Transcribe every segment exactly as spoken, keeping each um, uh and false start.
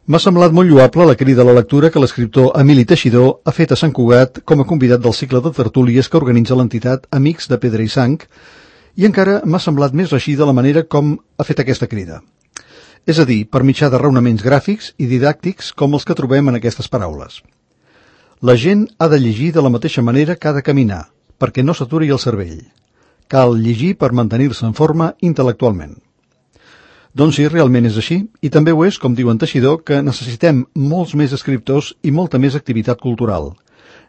M'ha semblat molt lloable la crida a la lectura que l'escriptor Emili Teixidor ha fet a Sant Cugat com a convidat del cicle de tertúlies que organitza l'entitat Amics de Pedra i Sang, i encara m'ha semblat més reeixida la manera com ha fet aquesta crida. És a dir, per mitjà de raonaments gràfics i didàctics com els que trobem en aquestes paraules. La gent ha de llegir de la mateixa manera que ha de caminar, perquè no s'aturi el cervell. Cal llegir per mantenir-se en forma intel·lectualment. Doncs sí, realment és així, i també ho és, com diu en Teixidor, que necessitem molts més escriptors i molta més activitat cultural,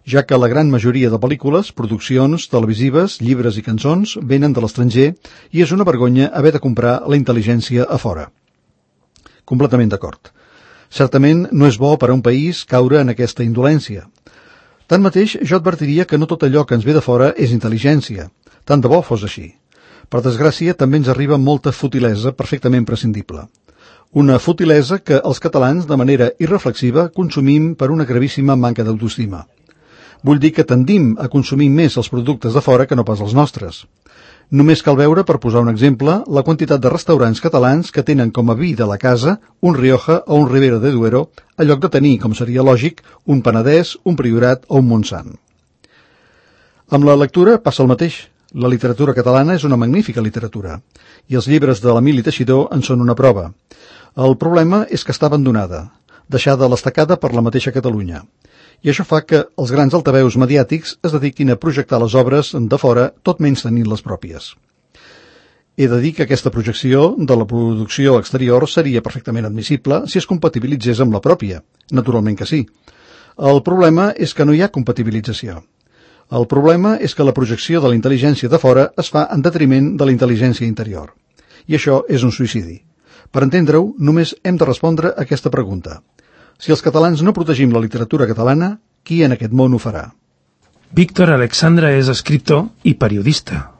ja que la gran majoria de pel·lícules, produccions televisives, llibres i cançons venen de l'estranger i és una vergonya haver de comprar la intel·ligència a fora. Completament d'acord. Certament no és bo per a un país caure en aquesta indolència. Tanmateix, jo advertiria que no tot allò que ens ve de fora és intel·ligència. Tant de bo fos així. Per desgràcia, també ens arriba molta futilesa perfectament prescindible. Una futilesa que els catalans, de manera irreflexiva, consumim per una gravíssima manca d'autoestima. Vull dir que tendim a consumir més els productes de fora que no pas els nostres. Només cal veure, per posar un exemple, la quantitat de restaurants catalans que tenen com a vi de la casa un Rioja o un Ribera de Duero, a lloc de tenir, com seria lògic, un Penedès, un Priorat o un Montsant. Amb la lectura passa el mateix. La literatura catalana és una magnífica literatura, i els llibres de l'Emili Teixidor en són una prova. El problema és que està abandonada, deixada a l'estacada per la mateixa Catalunya, i això fa que els grans altaveus mediàtics es dediquin a projectar les obres de fora, tot menys tenint les pròpies. He de dir que aquesta projecció de la producció exterior seria perfectament admissible si es compatibilitzés amb la pròpia, naturalment que sí. El problema és que no hi ha compatibilització. El problema és que la projecció de la intel·ligència de fora es fa en detriment de la intel·ligència interior. I això és un suïcidi. Per entendre-ho, només hem de respondre a aquesta pregunta. Si els catalans no protegim la literatura catalana, qui en aquest món ho farà? Víctor Alexandra és escriptor i periodista.